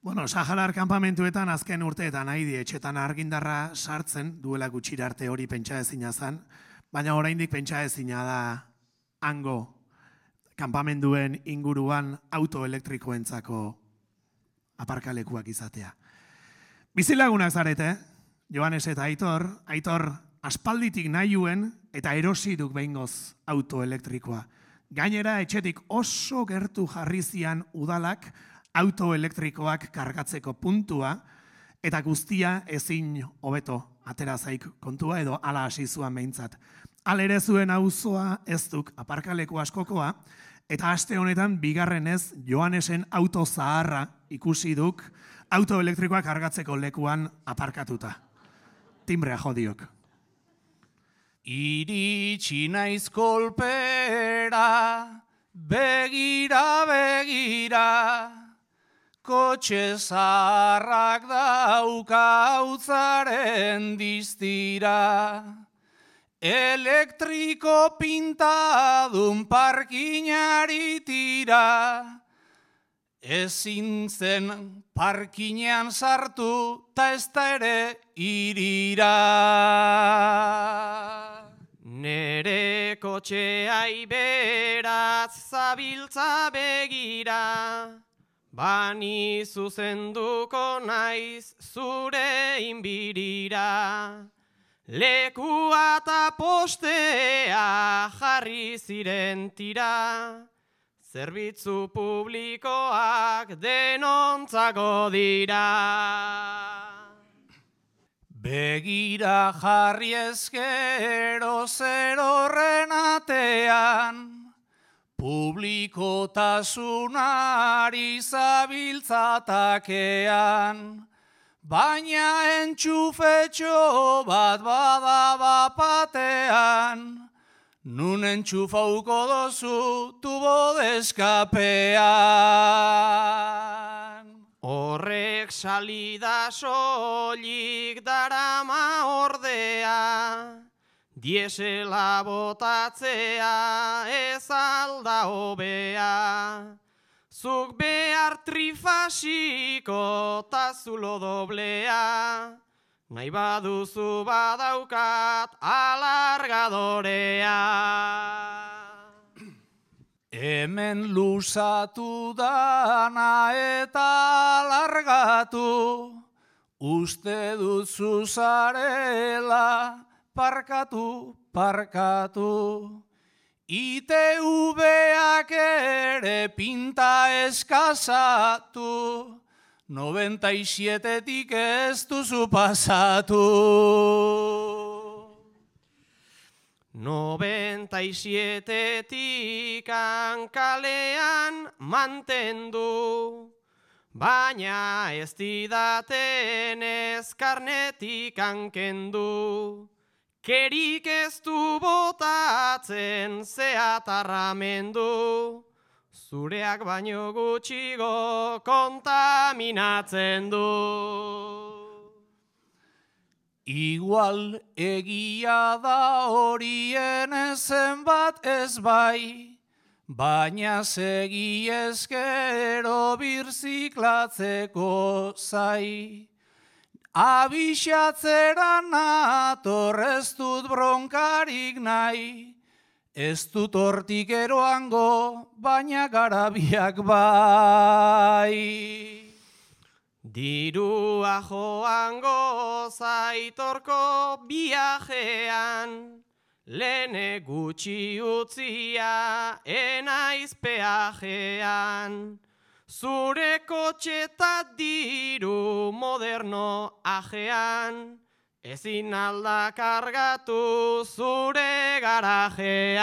Bueno, Saharar kanpamentuetan azken urteetan haidi etxetan argindarra sartzen, duela gutxira arte hori pentsa ezina zen, baina oraindik pentsa ezina da hango kanpamenduen inguruan autoelektrikoentzako aparkalekuak izatea. Bizilagunak zarete, Joanes eta Aitor aspalditik nahien eta erosi duk behingoz autoelektrikoa. Gainera, etxetik oso gertu jarri zian udalak autoelektrikoak kargatzeko puntua eta guztia ezin hobeto atera zaik kontua edo ala hasi zuan behintzat. Halere zuen auzoa ez duk aparkaleku askokoa eta aste honetan bigarrenez Joanesen auto zaharra ikusi duk autoelektrikoak kargatzeko lekuan aparkatuta. Timbrea jodiok. Iritsi naiz kolpera, begira, kotxe zaharrak dauka hautzaren diztira. Elektriko pintadun parkinari tira, ezin zen parkinean sartu, ta ez da ere irira. Nere kotxeai beraz zabiltza begira, bani zuzenduko naiz zure inbirira. Lekua eta postea jarri ziren tira, zerbitzu publikoak denontzako dira. Begira jarri ezkero zer horren atean, publikotasunari zabiltzatakean, baina entxufetxo bat bada bapatean, nun entxufauko dozu tubo deskapean. Horrek salida soilik darama ordea, diesela botatzea ez alda hobea. Zuk behar trifasiko ta zulo doblea, nahi baduzu badaukat alargadorea. Hemen luzatu dana eta alargatu, uste duzu zarela parkatu. ITV-ak ere pinta eskazatu, 97-tik ez duzu pasatu. 97-tik kalean mantendu, baina ez didaten ez karnetik kendu. Kerik ez du botatzen zeatarramendu, zureak baino gutxigo kontaminatzen du. Igual egia da horien ezen bat ez bai, baina segi ezkero birziklatzeko zai. Abixatzera nator ez dut bronkarik nahi, ez dut hortik eroango, baina garabiak bai. Dirua joango zaitorko biajean, lehene gutxi utzia enaiz peajean. Zure kotxeta diru moderno ajean, ezin alda kargatu zure garajean.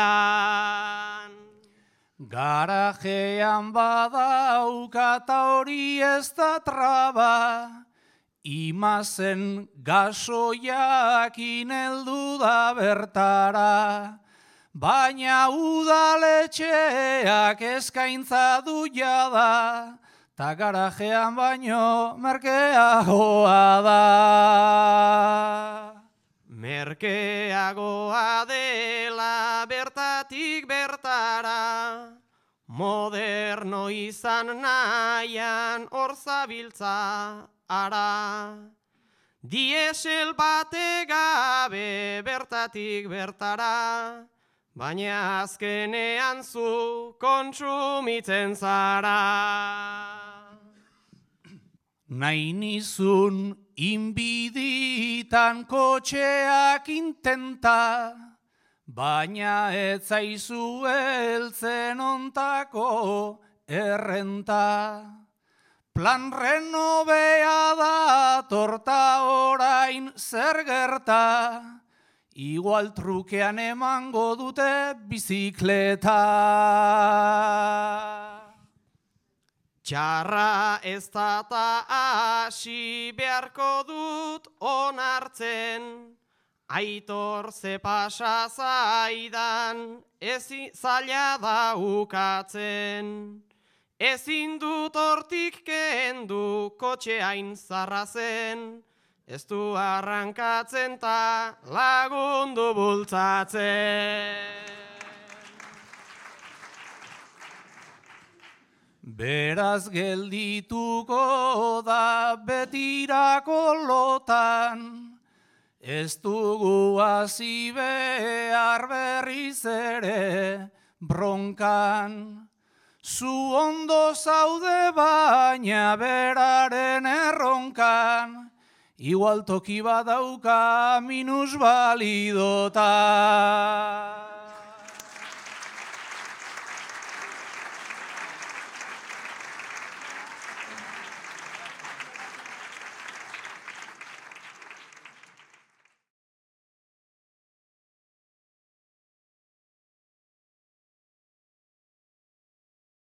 Garajean badaukata hori ez da traba, imazen gasoiakin heldu da bertara. Baina udaletxeak eskaintza du jada, ta garajean baino merkeagoa da. Merkeagoa dela bertatik bertara, moderno izan nahian hor zabiltza ara. Diesel bate gabe bertatik bertara, baina azkenean zu kontsumitzen zara. Nahi nizun inbiditan kotxeak intenta, baina ez zaizu heltzen ontako errenta. Plan renobea da torta orain zer gerta, igual trukean emango dute bizikleta. Txarra ez da ta hasi beharko dut onartzen, Aitor ze pasa zaidan zaila da ukatzen. Ezin dut hortik kendu kotxe hain zarra zen, ez du arrankatzen ta lagundu bultzatzen. Beraz geldituko da betirako lotan, ez dugu hasi behar berriz ere bronkan. Zu ondo zaude baina beraren erronkan, igual toki badauka minusbalidotan.